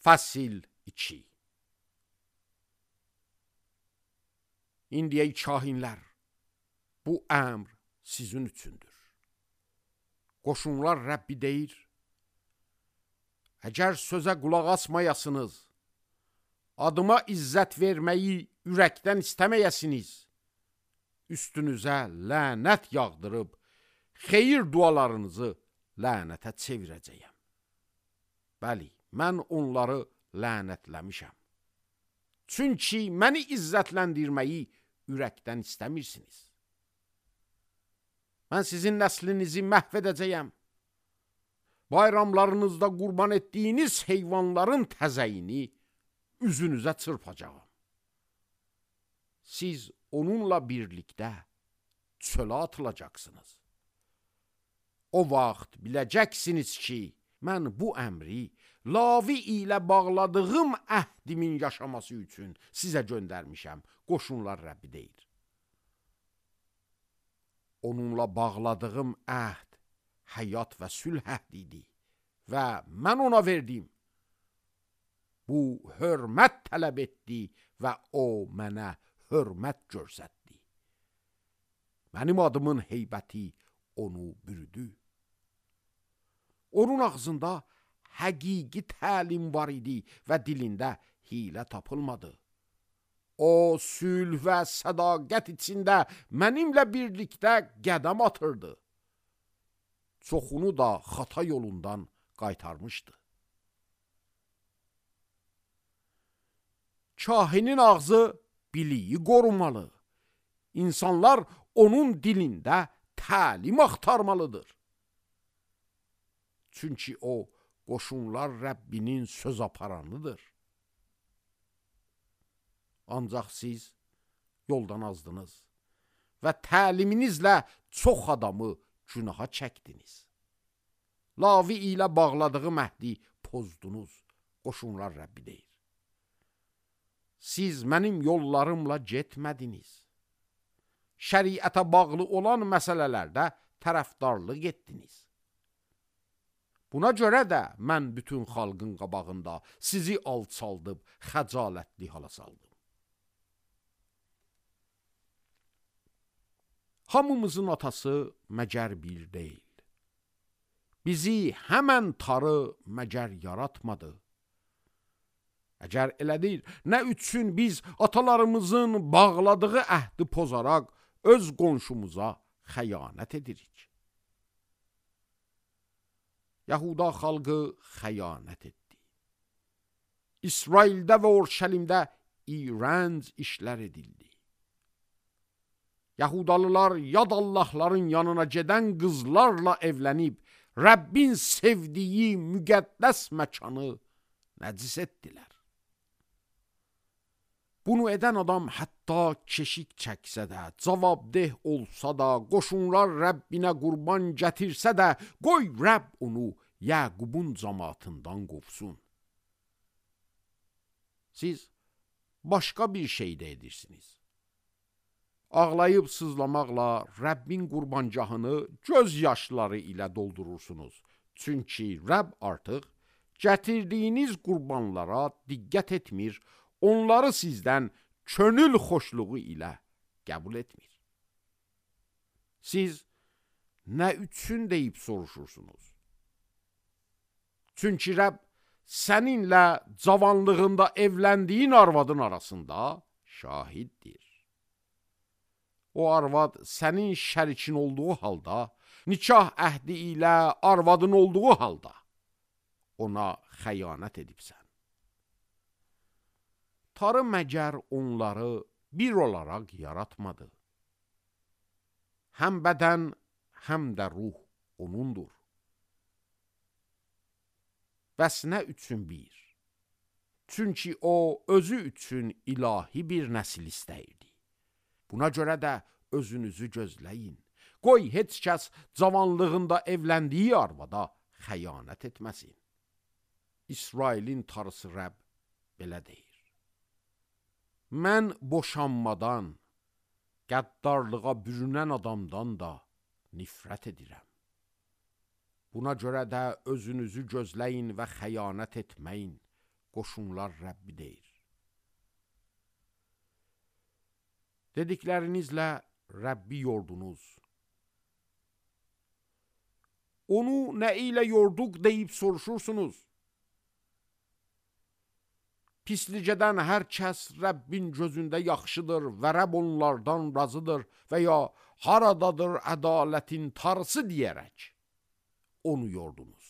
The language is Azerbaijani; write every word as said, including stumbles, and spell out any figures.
Fəsil iki. İndi ey kahinlər, bu əmr sizin üçündür. Qoşunlar Rəbbi deyir, əgər sözə qulaq asmayasınız, adıma izzət verməyi ürəkdən istəməyəsiniz, üstünüzə lənət yağdırıb, xeyir dualarınızı lənətə çevirəcəyəm. Bəli, mən onları lənətləmişəm. Çünki məni izzətləndirməyi ürəkdən istəmirsiniz. Mən sizin nəslinizi məhv edəcəyəm. Bayramlarınızda qurban etdiyiniz heyvanların təzəyini üzünüzə çırpacağım. Siz onunla birlikdə çölə atılacaqsınız. O vaxt biləcəksiniz ki, mən bu əmri Lavi ilə bağladığım əhdimin yaşaması üçün sizə göndərmişəm. Qoşunlar Rəbbi deyir. Onunla bağladığım əhd həyat və sülh əhdidir və mən ona verdim. Bu hörmət tələb etdi və o mənə hörmət göstərdi. Mənim adımın heybəti onu bürüdü. Onun ağzında həqiqi təlim var idi və dilində hilə tapılmadı. O, sülh və sədaqət içində mənimlə birlikdə qədəm atırdı. Çoxunu da xata yolundan qaytarmışdı. Kahinin ağzı biliyi qorumalı. İnsanlar onun dilində təlim axtarmalıdır. Çünki o, qoşunlar Rəbbinin söz aparanıdır. Ancaq siz yoldan azdınız və təliminizlə çox adamı günaha çəkdiniz. Lavi ilə bağladığı məhdi pozdunuz, qoşunlar Rəbbi deyir. Siz mənim yollarımla getmədiniz. Şəriətə bağlı olan məsələlərdə tərəfdarlıq etdiniz. Buna görə də mən bütün xalqın qabağında sizi alçaldıb, xəcalətli hala saldım. Hamımızın atası məgər bir deyil. Bizi həmən tarı məgər yaratmadı. Əgər elədir, nə üçün biz atalarımızın bağladığı əhdi pozaraq öz qonşumuza xəyanət edirik? Yahuda xalqı xəyanət etdi. İsraildə və Orşəlimdə iyrənc işlər edildi. Yahudalılar yad Allahların yanına gedən qızlarla evlənib, Rəbbin sevdiyi müqəddəs məkanı nəcis etdilər. Bunu edən adam hətta keşik çəksə də, cavabdeh olsa da, qoşunlar Rəbbinə qurban gətirsə də, qoy Rəbb onu Yəqubun cəmaatından qovsun. Siz başqa bir şey də edirsiniz. Ağlayıb sızlamaqla Rəbbin qurbancahını göz yaşları ilə doldurursunuz. Çünki Rəbb artıq gətirdiyiniz qurbanlara diqqət etmir, onları sizdən könül xoşluğu ilə qəbul etmir. Siz nə üçün deyib soruşursunuz? Çünki Rəbb səninlə cavanlığında evləndiyin arvadın arasında şahiddir. O arvad sənin şərikin olduğu halda, nikah əhdi ilə arvadın olduğu halda ona xəyanət edibsən. Tarı məgər onları bir olaraq yaratmadı. Həm bədən, həm də ruh onundur. Bəs nə üçün bir? Çünki o, özü üçün ilahi bir nəsil istəyirdi. Buna görə də özünüzü gözləyin. Qoy heç kəs cavanlığında evləndiyi arvada xəyanət etməsin. İsrailin tarısı Rəbb belə deyir. Mən boşanmadan, qəddarlığa bürünən adamdan da nifrət edirəm. Buna görə də özünüzü gözləyin və xəyanət etməyin. qoşunlar Rəbbi deyir. Dediklərinizlə Rəbbi yordunuz. Onu nə ilə yorduq deyib soruşursunuz. Pislicədən hər kəs Rəbbin gözündə yaxşıdır və Rəbb onlardan razıdır və ya haradadır ədalətin tarısı deyərək onu yordunuz.